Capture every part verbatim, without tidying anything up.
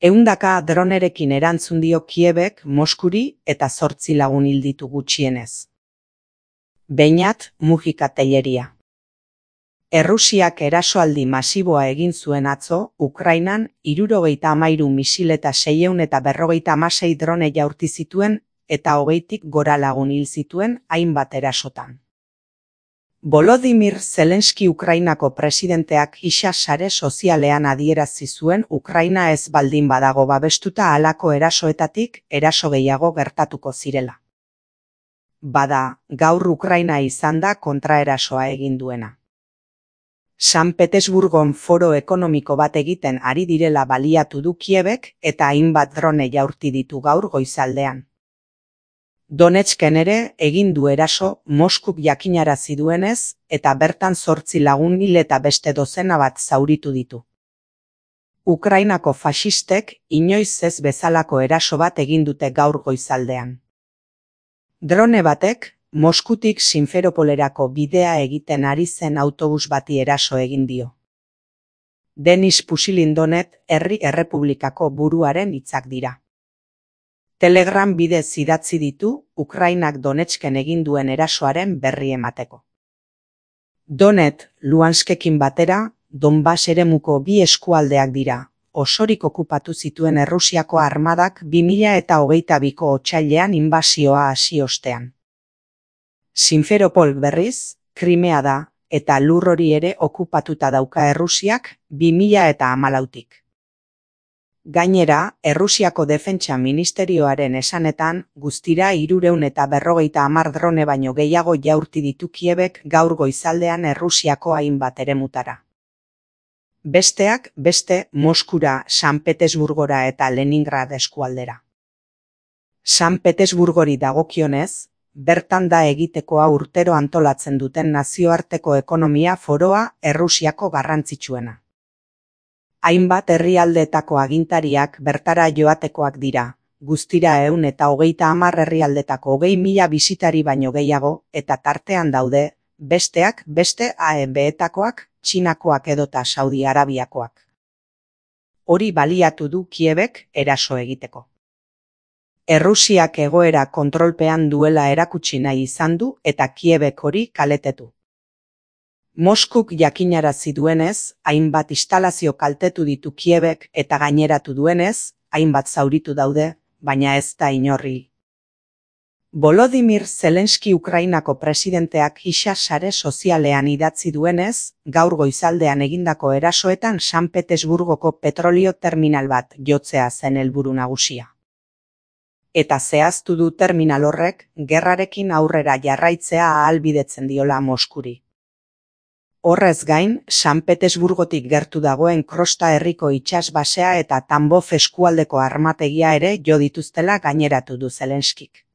Ehundaka dronerekin erantzun dio Kiebek Moskuri eta zortzi lagun hil ditu gutxienez. Beñat Mujika Telleria. Errusiak erasoaldi masiboa egin zuen atzo, Ukrainan hirurogeita hamairu misil eta seiehun eta berrogeita hamasei drone jaurti zituen eta hogeitik gora lagun hil zituen hainbat erasotan. Volodymyr Zelensky Ukrainako presidenteak giza sare sozialean adierazi zuen Ukraina ez baldin badago babestuta halako erasoetatik eraso gehiago gertatuko zirela. Bada, gaur Ukraina izan da kontraerasoa egin duena. San Petersburgon foro ekonomiko bat egiten ari direla baliatu du Kiebek eta hainbat drone jaurti ditu gaur goizaldean. Donetsken ere egin du eraso Moskuk jakinarazi duenez eta bertan zortzi lagun hil eta beste dozena bat zauritu ditu. Ukrainako faxistek inoiz ez bezalako eraso bat egin dute gaur goizaldean. Drone batek Moskutik Simferopolerako bidea egiten ari zen autobus bati eraso egin dio. Denis Pusilindonet Herri Errepublikako buruaren hitzak dira. Telegram bidez idatzi ditu Ukrainak Donetsken egin duen erasoaren berri emateko. Donet, Luhanskekin batera, Donbas eremuko bi eskualdeak dira, osorik okupatu zituen Errusiako armadak bi mila eta hogeita biko otsailean inbasioa hasi ostean. Simferopol berriz, Krimea da, eta lur hori ere okupatuta dauka Errusiak bi mila eta hamalautik. Gainera, Errusiako Defentsa Ministerioaren esanetan, guztira hirurehun eta berrogeita hamar drone baino gehiago jaurti ditu Kiebek gaur goizaldean Errusiako hainbat eremutara. Besteak beste Moskura, San Petersburgora eta Leningrad eskualdera. San Petersburgori dagokionez, bertan da egitekoa urtero antolatzen duten nazioarteko ekonomia foroa Errusiako garrantzitsuena. Hainbat herrialdeetako agintariak bertara joatekoak dira, guztira ehun eta hogeita hamar herrialdetako hogei mila bisitari baino gehiago eta tartean daude, besteak beste A E B-etakoak, Txinakoak edota Saudi Arabiakoak. Hori baliatu du Kiebek eraso egiteko. Errusiak egoera kontrolpean duela erakutsi nahi izan du eta Kiebek hori kaletetu. Moskuk jakinarazi duenez, hainbat instalazio kaltetu ditu Kiebek eta gaineratu duenez, hainbat zauritu daude, baina ez da inorri. Volodymyr Zelensky Ukrainako presidenteak giza sare sozialean idatzi duenez, gaur goizaldean egindako erasoetan San Petersburgoko petrolio terminal bat jotzea zen helburu nagusia. Eta zehaztu du terminal horrek gerrarekin aurrera jarraitzea ahalbidetzen diola Moskuri. Horrez gain, San Petersburgotik gertu dagoen Krosta herriko itsasbasea eta Tambov eskualdeko armategia ere jo dituztela gaineratu du Zelenskik.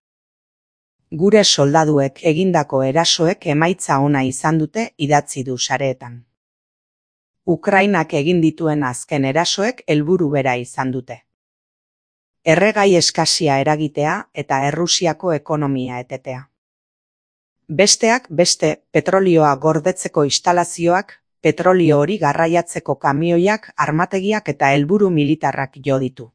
Gure soldaduek egindako erasoek emaitza ona izan dute idatzi du sareetan. Ukrainak egin dituen azken erasoek helburu bera izan dute. Erregai eskasia eragitea eta Errusiako ekonomia etetea. Besteak beste petrolioa gordetzeko instalazioak, petrolio hori garraiatzeko kamioiak, armategiak eta helburu militarrak jo ditu.